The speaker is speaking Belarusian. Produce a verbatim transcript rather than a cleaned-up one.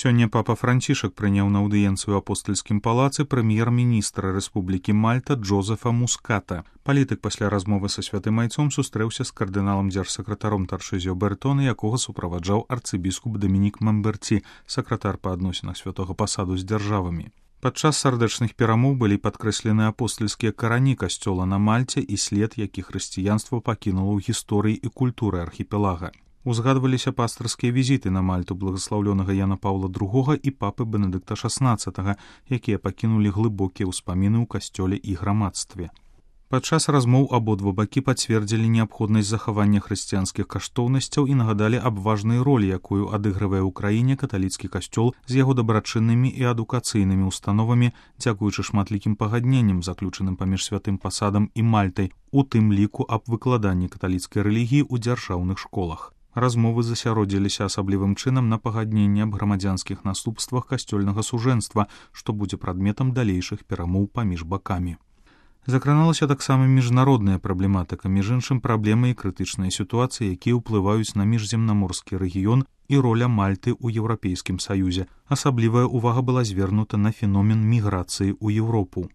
Сёння папа Францішак прыняў на аўдыенцыю ў апостальскім палацы прэм'ер-міністра Рэспублікі Мальта Джозефа Муската. Палітык пасля размовы са святым айцом сустрэўся з кардыналам дзяржсакратаром Таршызіо Бертона, якога суправаджаў арцыбіскуп Дамінік Мамберці, сакратар па адносінах святога пасаду з дзяржавамі. Падчас сардэчных перамоў былі падкрэслены апостальскія карані касцёла на Мальце і след, які хрысціянства пакінула ў гісторыі і культуры архіпелага. Узгадваліся пастырскія візіты на Мальту благаслаўлёнага Яна Паўла другога і папы Бенедыкта шаснаццатага, якія пакінулі глыбокія ўспаміны ў касцёле і грамадстве. Падчас размоў абодва бакі пацвердзілі неабходнасць захавання хрысціянскіх каштоўнасцяў і нагадалі аб важнай ролі, якую адыгрывае ў краіне каталіцкі касцёл з яго дабрачыннымі і адукацыйнымі установамі, дзякуючы шматлікім пагадненням, заключаным паміж святым пасадам і Мальтай, у тым ліку аб выкладанні каталіцкай рэлігіі ў дзяржаўных школах. Размовы засяродзіліся асаблівым чынам на пагадненні аб грамадзянскіх наступствах касцёльнага сужэнства, што будзе прадметам далейшых перамоў паміж бакамі. Закраналася таксама міжнародная праблематыка, між іншым праблемы і крытычныя сітуацыі, якія ўплываюць на міжземнаморскі рэгіён і роля Мальты ў Еўрапейскім саюзе. Асаблівая ўвага была звернута на феномен міграцыі ў Еўропу.